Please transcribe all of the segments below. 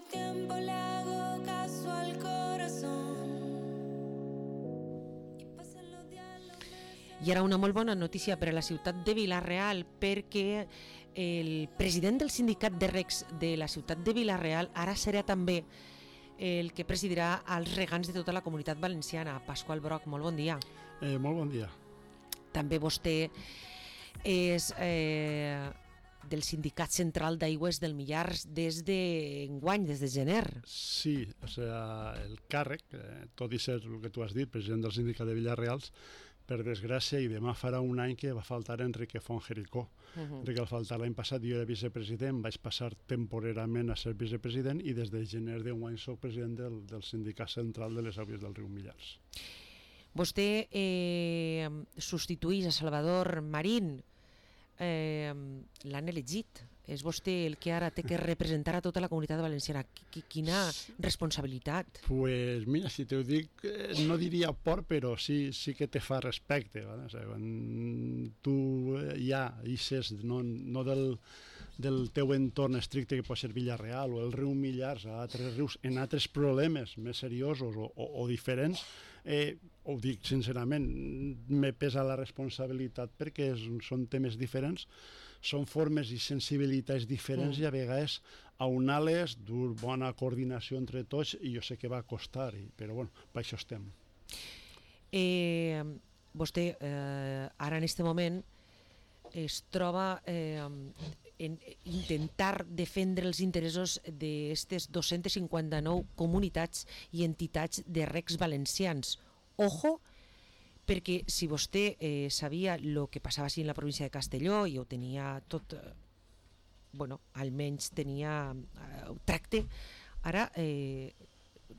tiempo le hago caso al corazón. I ara una molt bona notícia per a la ciutat de Vila-real, perquè el president del sindicat de recs de la ciutat de Vila-real ara serà també el que presidirà els regants de tota la comunitat valenciana. Pasqual Broc, molt bon dia. Molt bon dia. També vostè és del Sindicat Central d'Aigües del Millars des d'enguany, des de gener. Sí, o sea, el càrrec, tot i ser el que tu has dit, president del sindicat de Vila-reals, per desgràcia, i demà farà un any que va faltar Enrique Fonjericó. Enrique va faltar l'any passat, jo era vicepresident, vaig passar temporerament a ser vicepresident i des de gener d'enguany soc president del Sindicat Central de les Aigües del riu Millars. Vostè substituïx a Salvador Marín, l'han elegit. És vostè el que ara té que representar a tota la comunitat valenciana. Quina responsabilitat. Pues mira, si te ho dic, no diria por, però sí que te fa respecte. ¿vale? O sea, quan tu ja ixes no del teu entorn estricte, que pot ser Vila-real o el riu Millars, a altres rius, en altres problemes més seriosos o diferents, ho dic sincerament, me pesa la responsabilitat perquè són temes diferents, són formes i sensibilitats diferents i a vegades aunar-les, dur bona coordinació entre tots, i jo sé que va costar, però bueno, per això estem. Vostè ara en aquest moment es troba en intentar defendre els interessos d'aquestes 259 comunitats i entitats de recs valencians. Ojo, perquè si vostè sabia el que passava així en la província de Castelló i ho tenia tot, bueno, almenys tenia tracte, ara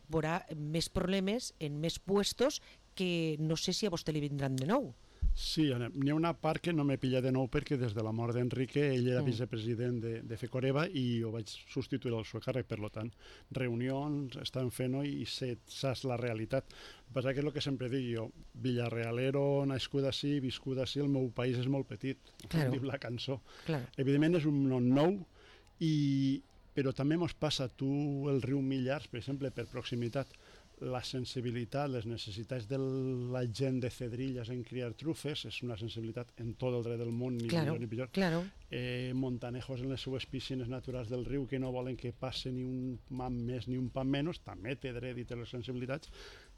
veurà més problemes en més puestos que no sé si a vostè li vindran de nou. Sí, n'hi ha una part que no m'he pillat de nou perquè des de la mort d'Enrique ell era vicepresident de FECOREVA i ho vaig substituir al seu càrrec, per tant, reunions estan fent-ho i saps la realitat. El que passa que és el que sempre dic jo, villarrealero, nascut així, viscut així, el meu país és molt petit, claro. Diu la cançó. Claro. Evidentment és un nom nou, però també mos passa el riu Millars, per exemple, per proximitat, la sensibilitat, les necessitats de la gent de Cedrilles en criar trufes és una sensibilitat en tot el dret del món, ni millor ni pitjor. Claro. Montanejos en les seues piscines naturals del riu que no volen que passe ni un pam més ni un pam menys, també té dret i té les sensibilitats.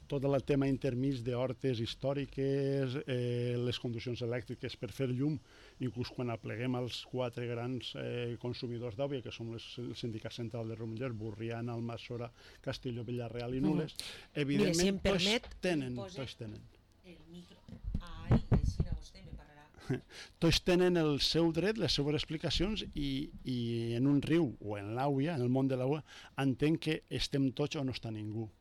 Tot el tema intermig d'hortes històriques, les conduccions elèctriques per fer llum, inclús quan apleguem els 4 grans consumidors d'aigua, que som el Sindicat Central de Millars, Borriana, Almassora, Castelló, Vila-real i Nules, evidentment, si em permet, tots tenen. El micro. Ai, així vostè me pararà. Tots tenen el seu dret, les seues explicacions i en un riu o en l'àgua, en el món de l'àgua, entenc que estem tots o no està ningú.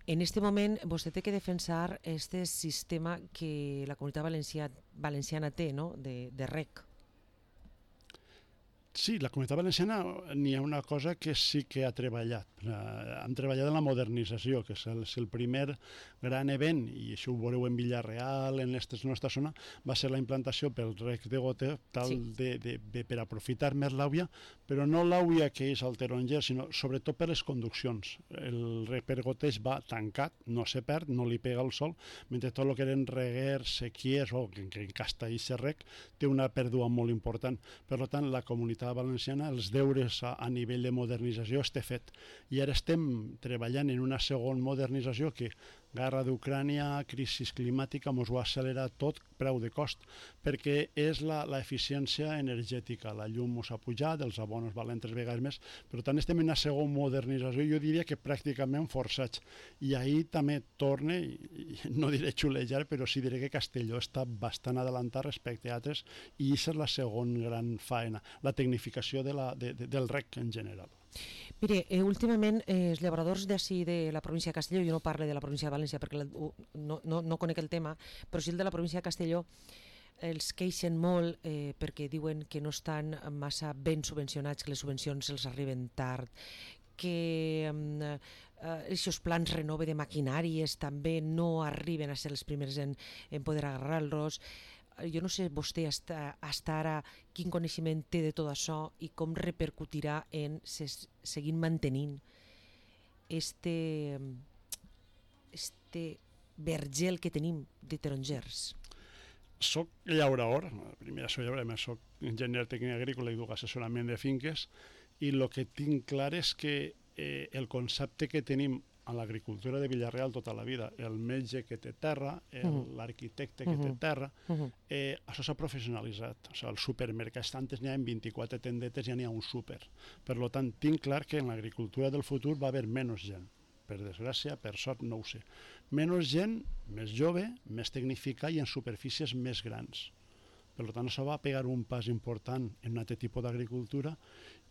En este moment vostè té que defensar este sistema que la comunitat valenciana té, no? de rec. Sí, la comunitat valenciana n'hi ha una cosa que sí que ha treballat. Han treballat en la modernització, que és el primer gran event, i això ho veureu en Vila-real, en la nostra zona, va ser la implantació pel rec de goteo, per aprofitar més l'àvia, però no l'àvia que és al taronger, sinó sobretot per les conduccions. El rec per goteig va tancat, no se perd, no li pega el sol, mentre tot el que eren reguers, sequies, o que en Castells el rec, té una pèrdua molt important. Per tant, la comunitat valenciana, els deures a nivell de modernització està fet. I ara estem treballant en una segona modernització que guerra d'Ucrània, crisi climàtica, ens ho ha accelerat tot, preu de cost, perquè és l'eficiència energètica. La llum ens ha pujat, els abonos valen 3 vegades més, per tant estem en una segona modernització, jo diria que pràcticament forçats. I ahir també torna, no diré xulejar, però sí diré que Castelló està bastant adelantat respecte a altres, i aquesta és la segona gran faena, la tecnificació del rec en general. Mire, últimament els llauradors d'ací de la província de Castelló, jo no parlo de la província de València perquè no conec el tema, però sí el de la província de Castelló, els queixen molt perquè diuen que no estan massa ben subvencionats, que les subvencions els arriben tard, que aquests plans renove de maquinàries també no arriben a ser els primers en poder agarrar-los. jo no sé vostè hasta ara quin coneixement té de tot això i com repercutirà en seguir mantenint este vergel que tenim de tarongers. Soc llaurador, primer soc llaurador, més soc enginyer tècnic agrícola i duc assessorament de finques, i el que tinc clar és que el concepte que tenim a l'agricultura de Vila-real tota la vida, el metge que té terra, l'arquitecte que té terra, això s'ha professionalitzat. O sigui, els supermercats antes n'hi ha 24 tendetes, ja n'hi ha un súper. Per tant, tinc clar que en l'agricultura del futur va haver menys gent. Per desgràcia, per sort, no ho sé. Menys gent, més jove, més tecnificada i en superfícies més grans. Per tant, això va pegar un pas important en un altre tipus d'agricultura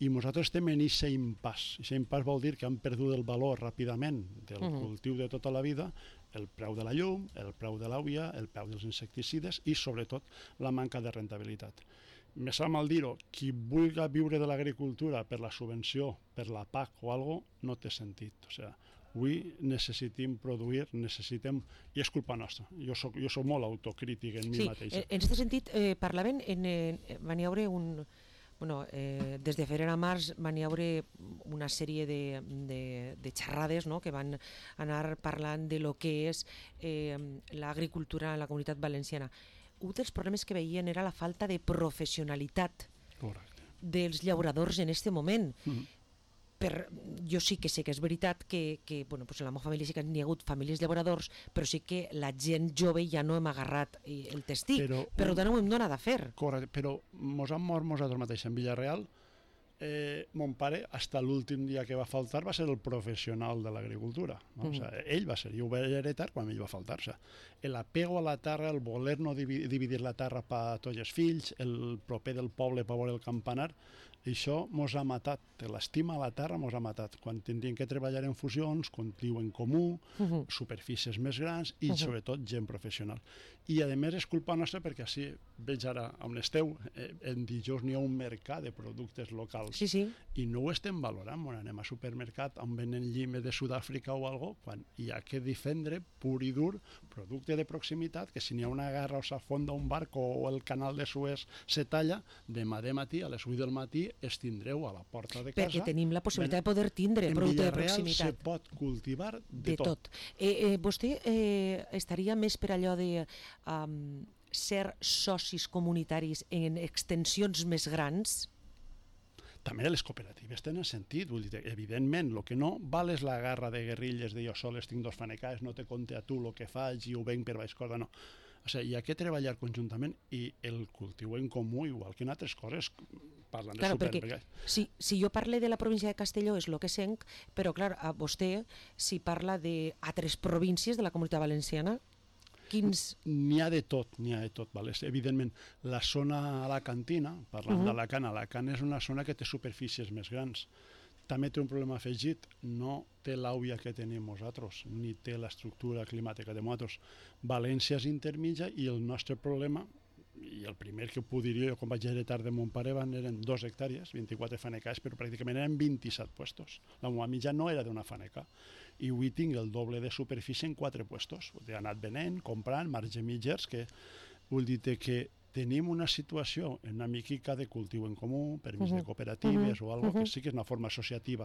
i nosaltres estem en aquest impàs. Aquest impàs vol dir que han perdut el valor ràpidament del cultiu de tota la vida, el preu de la llum, el preu de l'auia, el preu dels insecticides i, sobretot, la manca de rentabilitat. Me sap mal dir-ho, qui vulgui viure de l'agricultura per la subvenció, per la PAC o alguna cosa, no té sentit. O sigui, avui necessitem produir, i és culpa nostra. Jo soc molt autocrític en mi mateix. Sí, en aquest sentit, parlaven, van hi haure des de febrer a març van hi haure una sèrie de xerrades, no?, que van anar parlant de lo que és l'agricultura en la Comunitat Valenciana. Un dels problemes que veien era la falta de professionalitat dels llauradors en aquest moment. Jo sí que sé que és veritat que en la meva família sí que n'hi ha hagut famílies llauradors, però sí que la gent jove ja no hem agarrat el testic, per tant ho hem donat a fer. Correcte, però mos han mort nosaltres mateixos en Vila-real. Mon pare, fins a l'últim dia que va faltar, va ser el professional de l'agricultura. Ell va ser, jo ho vaig heretar quan ell va faltar. L'apego a la terra, el voler no dividir la terra per tots els fills, el proper del poble per veure el campanar, això mos ha matat. L'estima a la terra mos ha matat. Quan tindríem que treballar en fusions, cultiu en comú, superfícies més grans i, sobretot, gent professional. I, a més, és culpa nostra perquè així veig ara on esteu. En dijous n'hi ha un mercat de productes locals i no ho estem valorant. Quan anem a supermercat on venen llimes de Sud-àfrica o alguna cosa, quan hi ha que defendre pur i dur producte de proximitat, que si n'hi ha una guerra o s'afonda un barco o el canal de Suez se talla, demà de matí, a les 8 del matí, es tindreu a la porta de casa. Perquè tenim la possibilitat de poder tindre producte de proximitat. En Vila-real se pot cultivar de tot. Vostè estaria més per allò de ser socis comunitaris en extensions més grans? També les cooperatives tenen sentit. Vull dir, evidentment, el que no val és la guerra de guerrilles de jo soles tinc 2 fanecars, no te compte a tu el que faig i ho venc per baix corda, no. O sigui, hi ha que treballar conjuntament i el cultiu en comú, igual que en altres coses, parlant de supermercats. Si jo parle de la província de Castelló és el que senc, però clar, a vostè si parla d'altres províncies de la Comunitat Valenciana, quins... N'hi ha de tot, vale? Evidentment, la zona alacantina, parlant d'Alacant és una zona que té superfícies més grans. També té un problema afegit, no té l'àuia que tenim nosaltres, ni té l'estructura climàtica de nosaltres. València és intermitja i el nostre problema, i el primer que ho diria jo quan vaig heretar de mon pare eren 2 hectàrees, 24 fanecars, però pràcticament eren 27 puestos. La meva mitja no era d'una faneca. I avui tinc el doble de superfície en 4 puestos. He anat venent, comprant, marge mitjers, que vull dir que tenim una situació en una miquica de cultiu en comú, permís de cooperatives o alguna que sí que és una forma associativa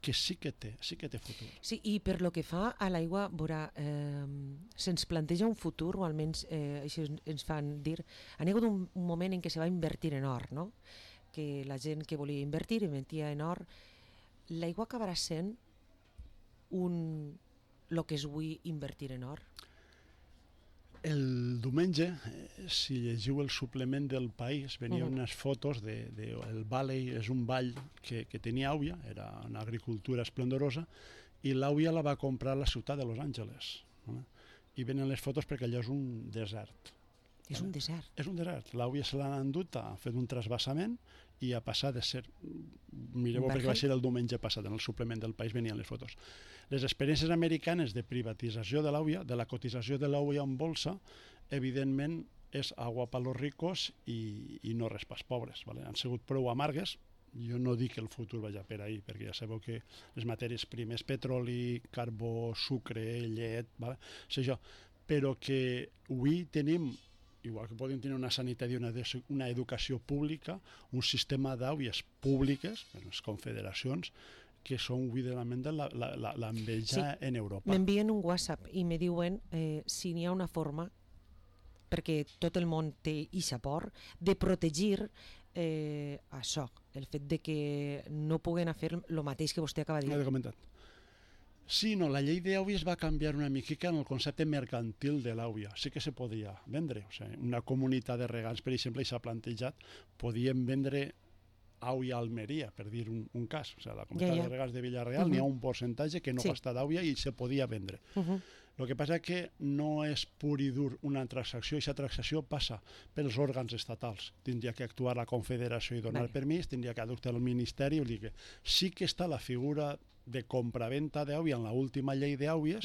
que sí que té futur. Sí, i per lo que fa a l'aigua, se'ns planteja un futur, o almenys així ens fan dir, ha hagut un moment en què se va invertir en or, no? Que la gent que volia invertir en or. L'aigua acabarà sent el que és avui invertir en or? El diumenge, si llegiu el suplement del País, venien unes fotos del Valley, és un vall que tenia àuia, era una agricultura esplendorosa, i l'àuia la va comprar la ciutat de Los Angeles. I venen les fotos perquè allò és un desert. És un desert? És un desert. L'àuia se l'han endut, ha fet un trasbassament i ha passat de ser... Mireu perquè va ser el diumenge passat, en el suplement del País venien les fotos. Les experiències americanes de privatització de l'àuia, de la cotització de l'àuia en bolsa, evidentment és agua per los ricos i no res pels pobres. Han sigut prou amargues. Jo no dic que el futur vagi per ahí, perquè ja sabeu que les matèries primes, petroli, carbó, sucre, llet, però que avui tenim igual que podem tenir una sanitat i una educació pública, un sistema d'àuies públiques, les confederacions, que són evidentment l'enveja en Europa. M'envien un WhatsApp i me diuen si n'hi ha una forma, perquè tot el món té eixa por, de protegir això, el fet de que no puguen fer el mateix que vostè acaba de dir. L'he comentat. Sí, no, la llei d'àuies va canviar una miquica en el concepte mercantil de l'àuia. Sí que se podia vendre. O sigui, una comunitat de regants, per exemple, i s'ha plantejat, podien vendre àuia a Almeria, per dir un cas. O sigui, la comunitat de regants de Villarreal n'hi ha un percentatge que no gasta d'àuia i se podia vendre. El que passa és que no és pur i dur una transacció, i aquesta transacció passa pels òrgans estatals. Tindria que actuar la Confederació i donar permís, tindria que actuar el Ministeri, vull dir que sí que està la figura de compraventa d'àuia en l'última llei d'àuies,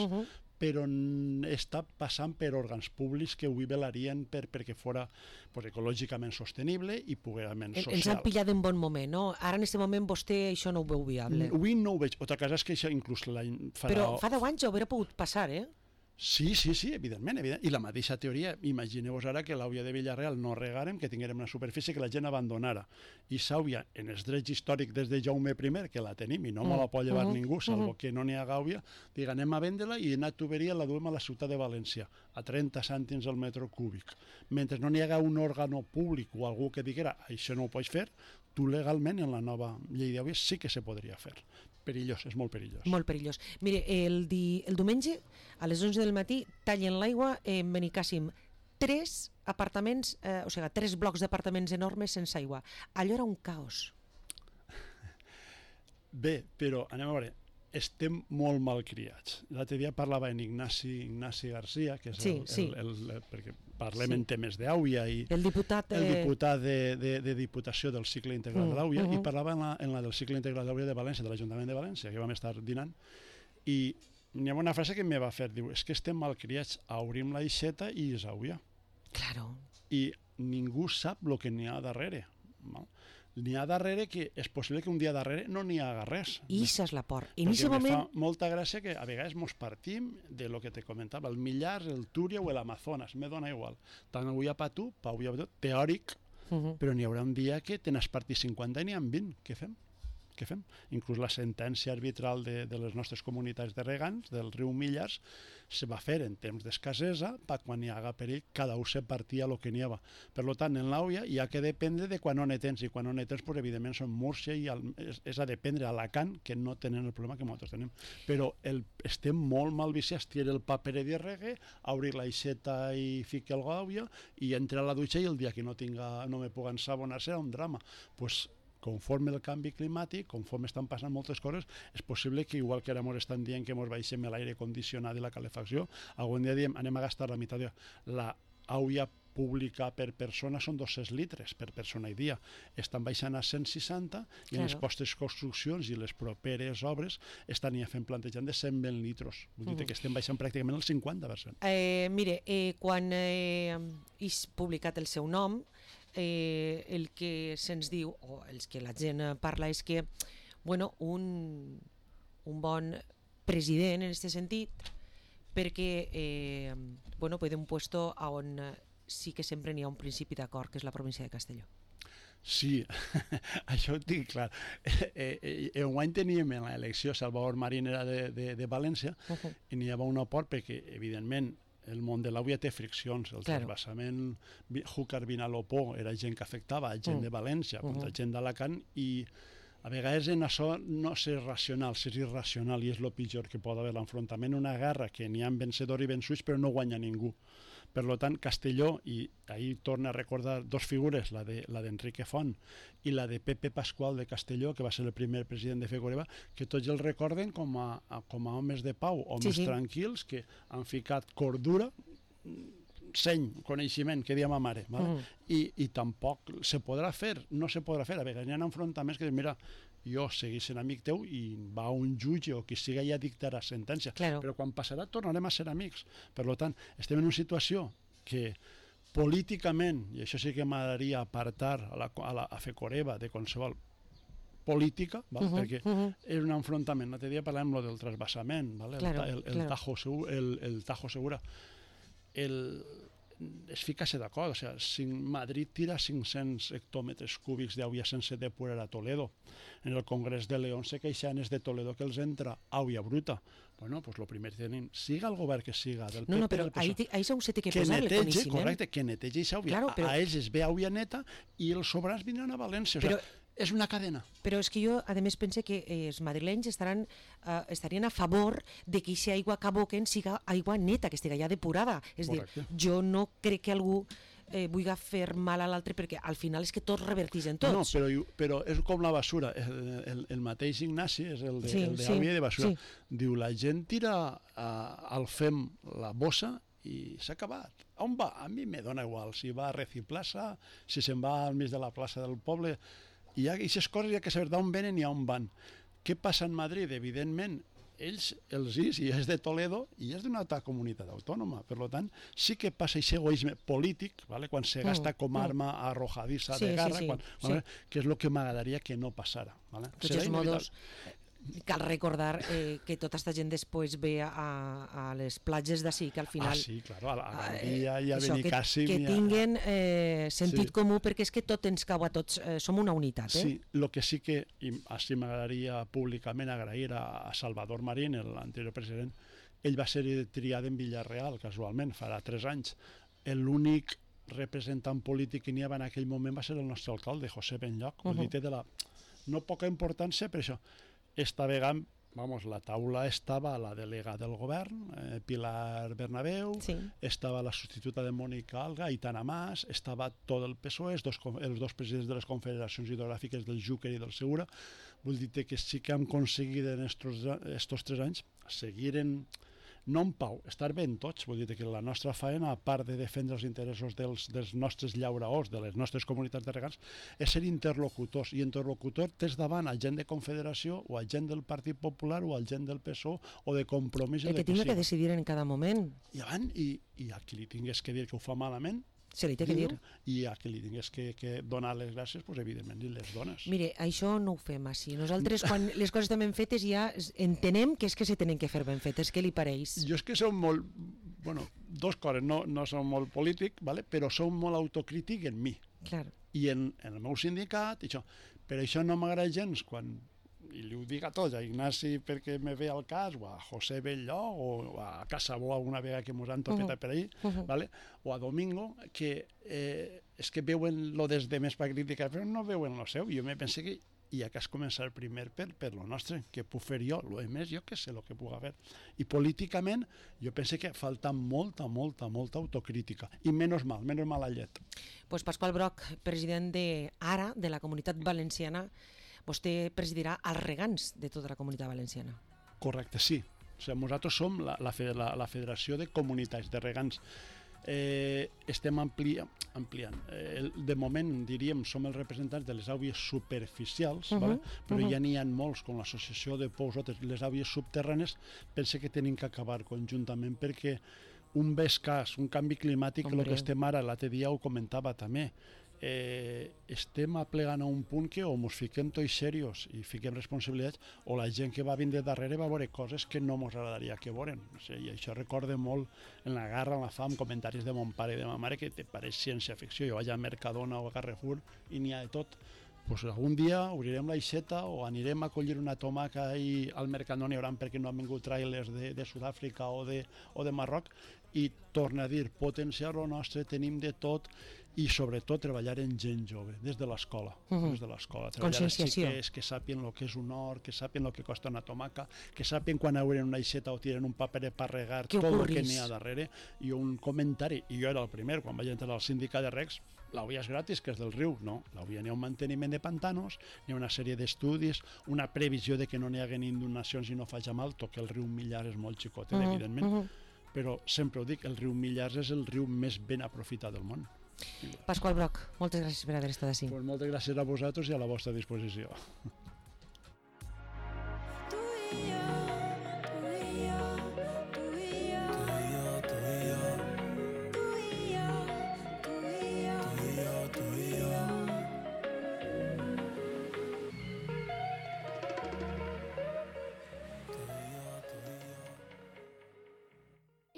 però està passant per òrgans públics que ho velarien perquè fora ecològicament sostenible i poderament social. Ens han pillat en bon moment, no? Ara en aquest moment vostè això no ho veu viable. Avui no ho veig. Altra cosa és que això inclús l'any farà... Però fa 10 anys ho hauria pogut passar, eh? Sí, evidentment. I la mateixa teoria, imagineu-vos ara que l'àuia de Villarreal no regàrem, que tinguérem una superfície que la gent abandonara. I s'àuia, en els drets històrics des de Jaume I, que la tenim i no me la pot llevar ningú, salvo que no n'hi ha àuia, diga, anem a vendre-la i una tuberia la duem a la ciutat de València, a 30 cèntims al metre cúbic. Mentre no n'hi haga un òrgano públic o algú que diguera, això no ho pots fer, tu legalment en la nova llei d'àuies sí que se podria fer. Perillós, és molt perillós. Molt perillós. Mire, el diumenge, a les 11 del matí, tallen l'aigua en Benicàssim. 3 apartaments, o sigui, 3 blocs d'apartaments enormes sense aigua. Allò era un caos. Bé, però anem a veure, estem molt malcriats. L'altre dia parlava en Ignasi Garcia, que és perquè parlem en temes d'àuia i el diputat de Diputació del cicle integral de l'àuia, i parlava en la del cicle integral d'àuia de València, de l'Ajuntament de València, que vam estar dinant, i hi ha una frase que em va fer, diu, és que estem malcriats, obrim l'aixeta i és àuia. Claro. I ningú sap el que n'hi ha darrere. N'hi ha darrere que és possible que un dia darrere no n'hi haga res. I això és la por. Perquè me fa molta gràcia que a vegades mos partim de lo que te comentava, el Millars, el Túria o l'Amazones, me dona igual. Tant avui a Patú, teòric, però n'hi haurà un dia que te n'has partit 50 i n'hi ha 20. Què fem? Inclús la sentència arbitral de les nostres comunitats de regants, del riu Millars, se va fer en temps d'escassesa, per quan hi haga perill, cada un se partia el que n'hi havia. Per tant, en l'àuia hi ha que dependre de quan no ne tens, i quan no ne tens, evidentment, són Múrcia i és a dependre a Alacant, que no tenen el problema que nosaltres tenim. Però estem molt mal viciats, tira el paper i regue, obrir l'aixeta i ficar el l'àuia, i entrar a la dutxa i el dia que no me puc ensabonar serà un drama. Doncs conforme el canvi climàtic, conforme estan passant moltes coses, és possible que, igual que ara ens estan dient que ens baixem l'aire condicionat i la calefacció, algun dia diem, anem a gastar la meitat. La àuia pública per persona són 200 litres per persona i dia. Estan baixant a 160 i en les postes construccions i les properes obres estan ja plantejant de 120 litros. Vull dir que estem baixant pràcticament el 50%. Mire, quan és publicat el seu nom, el que se'ns diu, o els que la gent parla, és que un bon president en aquest sentit, perquè puede un puesto on sí que sempre n'hi ha un principi d'acord, que és la província de Castelló. Sí, això ho tinc clar. Enguany teníem en l'elecció Salvador Marín era de València i n'hi havia un aport perquè, evidentment, el món de l'àuia té friccions. El transvasament Júcar-Vinalopó era gent que afectava gent de València contra gent d'Alacant, i a vegades en això no és racional, és irracional, i és el pitjor que pot haver l'enfrontament, una guerra que n'hi ha vencedors i vençuts però no guanya ningú. Per tant, Castelló, i ahir torna a recordar 2 figures, la d'Enrique Font i la de Pepe Pascual de Castelló, que va ser el primer president de Fecoreba, que tots els recorden com a homes de pau, homes tranquils, que han ficat cordura, seny, coneixement, que dia ma mare, i tampoc se podrà fer, no se podrà fer. A vegades hi ha enfrontaments que diuen, mira, jo seguís sent amic teu i va un jutge o qui siga ja dictarà sentència. Però quan passarà tornarem a ser amics. Per tant, estem en una situació que políticament, i això sí que m'agradaria apartar a Fecoreba de qualsevol política, perquè és un enfrontament. L'altre dia parlàvem del transvasament, el Tajo Segura. és ficar-se d'acord. O sigui, si Madrid tira 500 hectòmetres cúbics d'aigua sense depurar a Toledo, en el Congrés de León se queixen de Toledo que els entra aigua bruta. Bueno, pues lo primer que tenim, siga el govern que siga, del PP, No, però del PSOE, ahí segur se té que que posar el netege, coneixement. correcte, que netegi aquesta aigua. Claro, però- A ells es ve aigua neta i els sobrants vindran a València. O sigui, Però- és una cadena. Però és que jo, a més, pense que els madrilenys estarien a favor de que aquesta aigua que aboquen siga aigua neta, que estigui ja depurada. És a dir, Correcte. jo no crec que algú vulgui fer mal a l'altre, perquè al final és que tots reverteixen No, tots. però és com la basura. El mateix Ignasi és el Sí, de sí, aigua i de basura. sí. Diu, la gent tira al FEM la bossa i s'ha acabat. On va? A mi me dona igual. Si va a Reciplaça, si se'n va al mig de la plaça del poble. I aquestes coses hi ha que saber d'on venen i on van. Què passa en Madrid? Evidentment, ells, els is, i és de Toledo, i és d'una altra comunitat autònoma. Per tant, sí que passa aquest egoisme polític, ¿vale? Quan se gasta com a arma arrojadissa Sí, de sí, garra, sí, ¿vale? Que és el que m'agradaria que no passara. ¿vale? De Serà tots modos, inevitable. cal recordar que tota aquesta gent després ve a les platges d'ací, que al final... Sí, claro, a Gandia i a això, Benicàssim. que tinguin sentit Sí. comú, perquè és que tot ens cau a tots, som una unitat. Sí, el que sí que, i així m'agradaria públicament agrair a Salvador Marín, l'anterior president, ell va ser triat en Villarreal, casualment, farà 3 anys. L'únic representant polític que n'hi havia en aquell moment va ser el nostre alcalde, José Benlloch. Vull dir, té de la no poca importància, per això. Esta vegada, vamos, la taula estava la delegada del govern, Pilar Bernabéu, Sí. estava la substituta de Mònica Alga, Aitana Mas, estava tot el PSOE, els dos presidents de les confederacions hidrogràfiques del Júquer i del Segura. Vull dir que sí que hem aconseguit en estos 3 anys seguir no en pau, estar ben tots. Vull dir que la nostra faena, a part de defendre els interessos dels nostres llauraors, de les nostres comunitats de regants, és ser interlocutors. I interlocutor tens davant a gent de Confederació o a gent del Partit Popular o a gent del PSOE o de Compromís. El que tinga que decidir en cada moment, I a qui li tingués que dir que ho fa malament, se li té que dir. i a qui li tingués que donar les gràcies, doncs evidentment li les dones. Mire, això no ho fem així. Nosaltres, quan les coses estan ben fetes, ja entenem que és que se tenen que fer ben fetes. Què li pareix? Jo és que som molt... Bueno, dos coses, no som molt polític, ¿vale? Però som molt autocrític en mi Clar. i en el meu sindicat, i això. Per això no m'agrada gens quan, i li ho dic a tots, a Ignasi perquè me ve al cas, o a José Bellló, o a Casabó alguna vegada que mos han tocat per ahí, ¿vale? O a Domingo, que és que veuen lo des de més per criticar, però no veuen lo seu. Jo me pense que hi ha que començar primer per lo nostre, que puc fer jo, lo més jo que sé el que puc fer. I políticament jo pense que falta molta autocrítica, i menys mal a llet. Pues Pasqual Broch, president d'Ara, de la Comunitat Valenciana, vostè presidirà els regants de tota la Comunitat Valenciana. Correcte, sí. O sigui, nosaltres som la Federació de Comunitats de Regants. Estem ampliant. De moment, diríem, som els representants de les àuies superficials, ¿vale? Però ja n'hi ha molts, com l'Associació de Pous, les àuies subterrànies, pense que tenim que acabar conjuntament, perquè un cas, un canvi climàtic, el que estem ara, l'altre dia ho comentava també, estem aplegant a un punt que o ens fiquem tots serios i fiquem responsabilitats, o la gent que va vindre darrere va veure coses que no ens agradaria que veuren. O sigui, i això recorda molt en la guerra, en la fam, comentaris de mon pare i de ma mare que te pareix ciència-ficció. Jo vaig a Mercadona o a Carrefour i n'hi ha de tot. Pues algun dia obrirem l'aixeta o anirem a collir una tomaca i al Mercadona hi haurà perquè no han vingut trailers de Sud-àfrica o de Marroc, i torna a dir, potenciar lo nostre, tenim de tot, i sobretot treballar en gent jove, des de l'escola. Conscienciació. Que sàpien el que és un hort, que sàpien el que costa una tomaca, que sàpien quan obren una aixeta o tiren un paper per regar, tot el que n'hi ha darrere. I un comentari, i jo era el primer, quan vaig entrar al sindicat de regs, l'auia és gratis, que és del riu. No, l'auia n'hi ha un manteniment de pantanos, n'hi ha una sèrie d'estudis, una previsió de que no n'hi hagi inundacions i no faci mal, tot que el riu Millars és molt xicotet, evidentment, però sempre ho dic, el riu Millars és el riu més ben aprofitat del món. Pasqual Broch, moltes gràcies per haver estat així. Pues moltes gràcies a vosaltres i a la vostra disposició.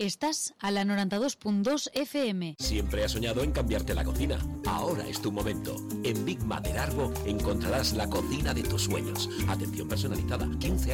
Estás a la 92.2 FM. Siempre has soñado en cambiarte la cocina. Ahora es tu momento. En Big Mater Arbo encontrarás la cocina de tus sueños. Atención personalizada, 15